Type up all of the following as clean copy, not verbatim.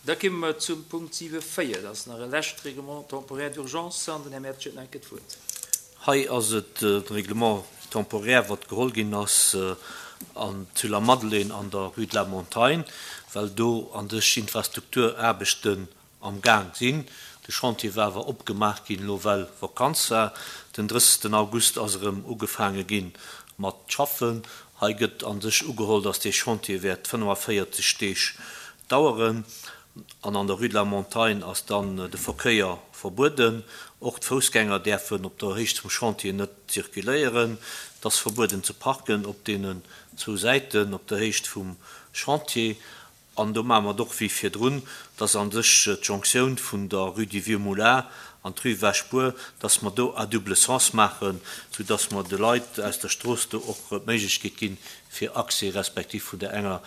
Da komme mer zum Punkt 7,4. Dat ass nach e lescht Règlement temporaire d'urgence an den Här Mertsch huet nach eng Kéier d'Wuert. Hei ass et e Règlement temporaire, wat geholl ginn ass an zu Lamadelaine an der Rue de la Montagne, well do an sech Infrastrukturaarbechten am Gaang sinn. De Chantier war awer opgemaach ginn elo well Vakanz war. Den 30 August ass erëm ugefaange gi mat schaffen. Hei gëtt an sech ugeholl, datt dee Chantier wäert 45 Deeg daueren. An an der Rue de la Montagne ass dann de Verkéier verbueden. Och d'Foussgänger däerfen op der Héicht vum Chantier net zirkuléieren. Et ass verbueden ze parken op deenen zwou Säiten op der Héicht vum Chantier. An do maache mer et och wéi virdrun, dass a sech d'Jonctioun vun der Rue du Vieux Moulin an d'Rue Wäschbuer, dass mer do à double sens maachen, soudass mer de Leit aus der Strooss do och d'Méiglechkeet ginn, fir Accès respektiv vun där enger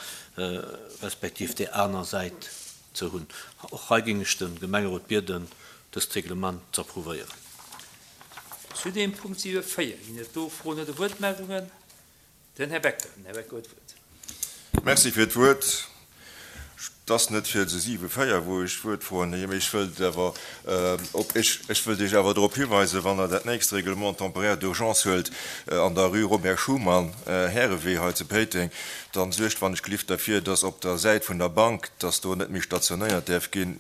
respektiv där aner Säit ze hunn. Och hei géing ech de Gemengerot bieden, dëst Reglement z'approuvéieren. Zu deem Punkt 7, 4 ginn et do Froen oder Wuertmeldungen? Den Här Becker. Den Här Becker huet d'Wuert. Merci fir d'Wuert. Et ass net fir se 7, 4, wou ech d'Wuert froen, mee ech wëllt awer op, ech wëllt Iech awer drop hiweisen, wann Der dat nächst Règlement temporaire d'urgence huelt an der rue Robert Schuman, Härewee hei zu Péiteng, dann suergt wann ech gelift derfir, dass op der Säit vun der Bank, dass do net méi stationéiert däerf ginn.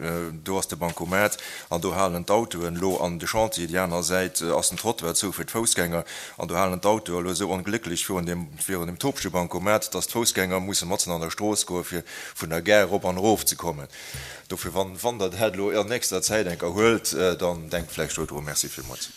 Do ass de Bancomat an do halen d'Autoen elo an de Chantier. Déi aner Säit ass den Trottoir zou fir d'Foussgänger. An do halen d'Autoe elo esou onglécklech virun deem, virun deem topege Bancomat, dass d'Foussgänger musse matzen an der Strooss goe fir vun der Gare erop an erof ze kommen. Dofir, wann, wann Der dat elo an nächster Zäit eng Kéier huelt, dann denkt vläicht do dru. Merci villmools.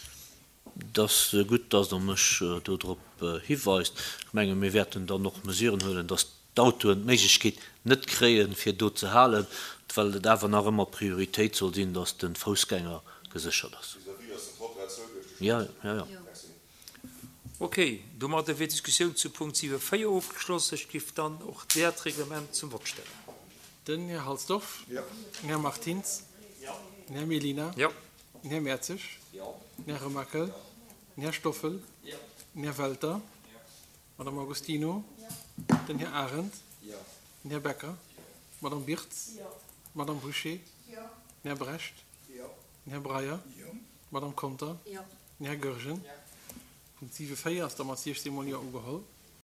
Et ass gutt, dass Der mech do drop hiweist. Ech menge mir wäerten dann och Mesuren huelen, dass d'Autoen d'Méiglechkeet net kréien, fir do ze halen, well et awer nach ëmmer Prioritéit soll sinn, dass de Foussgänger geséchert ass. Jo, jo, jo. Ok, domadder wier d'Diskussioun zu Punkt 7, 4 ofgeschloss. Ech giff dann och dat Reglement zum Vott stellen. Den Här Halsdorf. Den Här Martins. Den Här Mellina. Den Här Mertzig. Den Här Remakel. Den Här Stoffel. Den Här Welter. D'Madame Agostino. Den Här Arendt. Den Här Becker. D'Madame Birtz. D'Madame Bouché. Den Här Brecht. Den Här Breyer. D'Madame Conter. Den Här Goergen. Punkt 7, 4 ass da mat 16 mol Jo ugeholl.